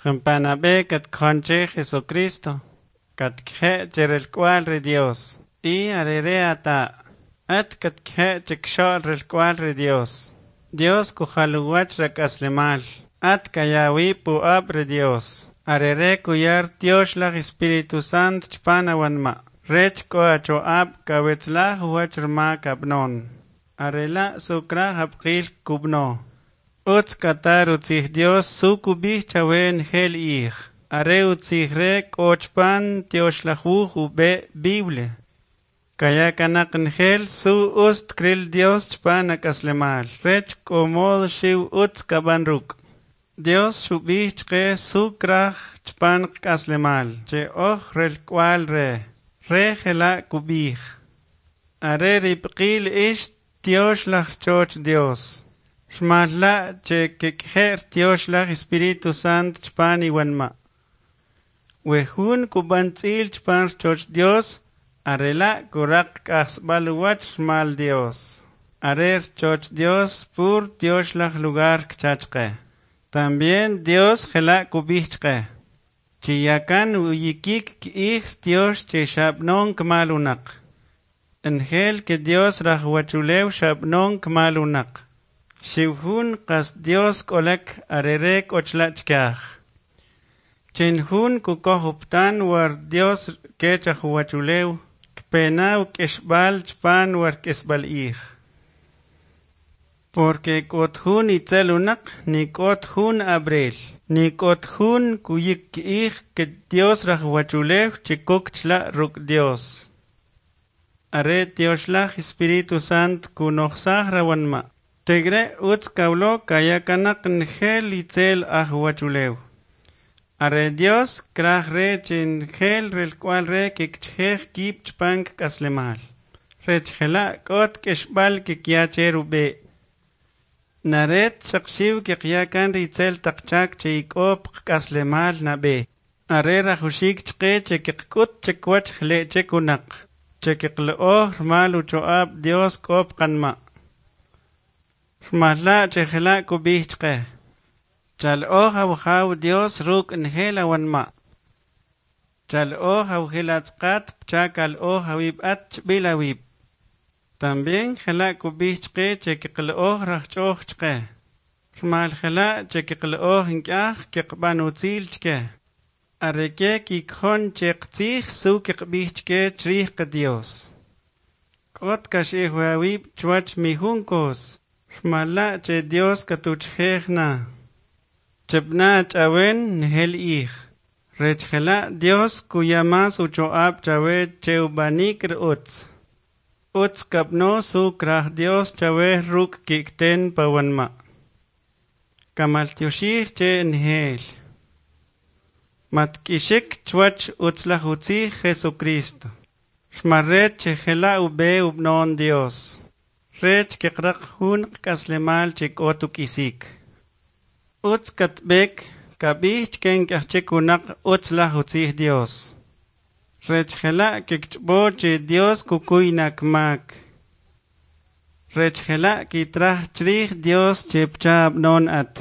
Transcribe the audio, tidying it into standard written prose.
Jampa' nab'e katkojon che Jesucristo, katkje' che relk'wa'l ri Dios, y arere ata'. At katkje' chikxo'l relk'wa'l ri Dios. Dios kujal uwach rak'aslemal. At kaya awib' pu'ab' ri Dios. Arere kuyar Tyoxlaj Espíritu Sant chpan awanma'. Rech k'o acho'ab' kawetzlaj uwach rmak ab'non. Arela' su kraj ab'qil kub'no. Utz kata rutzij Dios su kub'ij chawe njel ij. Are utzij re k'o chpan Tyoxlaj Wuj ub'e' Biblia. Kaya kanaq njel su ust kril Dios chpan ak'aslemal. Rech k'o modo xiw utz kab'an ruk'. Dios xub'ij chqe su kraj chpan qk'aslemal, che oj relk'wa'l re. Re jela' kub'ij. Are rib'qil ix Tyoxlaj rchoch Dios. Rmal la' che kikje'r Tyoxlaj Espíritu Sant chpan iwanma'. We jun kub'an tz'il chpan rchoch Dios, arela' kuraq k'ajsb'al uwach rmal Dios. Are rchoch Dios pur Tyoxlaj lugar kcha chqe. También Dios jela' kub'ij chqe. Chiyakan uyikik k'ij Tyox che xab'non kmal unaq. Njel ke Dios rajwachulew xab'non kmal unaq. Xiw jun qas Dios k'olek arere k'o chla' chkaj. Chin jun kukoj uptan war Dios kech ajuwachulew, kpena uk'exb'al chpan war k'isb'al ij. Porque k'ot jun itzel unaq, ni k'ot jun abrel, ni k'ot jun kuyik k'ij ke Dios rajwachulew che kok chla' ruk' Dios. Are Tyoxlaj Espíritu Sant kunojsaj rawanma'. Tegre utz kawlo kaya kanaq njel itzel ajuwachulew. Are Dios kraj re che njel relk'wa'l re kikchjej kib' chpan kk'aslemal. Rech jela' k'ot k'exb'al kikya che rub'e'. Naret xaq xiw kiqya kan ri itzel taq chak che ik'o pqk'aslemal nab'e. Are rajuxik chqe che kiqk'ut chikwach jle' chik unaq. Che kiqlo'oj rmal ucho'ab' Dios k'o pqanma'. Rmal la' che jela' kub'ij chqe. Chal'oj awjaw Dios ruk' njel awanma'. Chal'oj awjil atz'aqat pcha kal'oj awib' at chb'il awib'. También jela' kub'ij chqe che kiqlo'oj rajch'oj chqe. Rmal jela' che kiqlo'oj nk'aj kiqb'an utzil chke. Are ke kikjon che qtzij su kiqb'ij chke chrij qDios. K'ot kax'ij awib' chwach mijun kos. Rmal la' che Dios katuchjej na. Cheb'na ach'awen njel ij. Rech jela' Dios kuya mas ucho'ab' chawe che ub'anik r'utz. Utz kab'no su kraj Dios chawe ruk' ki'kten pawanma'. Kamaltyoxij che njel. Matk'ixik chwach utzlaj utzij Jesucristo. Rmal rech che jela' ub'e ub'non Dios. Rech kiqraq jun qk'aslemal che k'ot uk'isik. Utz katb'ek kab'ij chke nk'aj chik unaq utzlaj utzij Dios. Rech jela' kikch'b'o che Dios kukuy na kmak. Rech jela' kitraj chrij Dios che pcha ab'non at.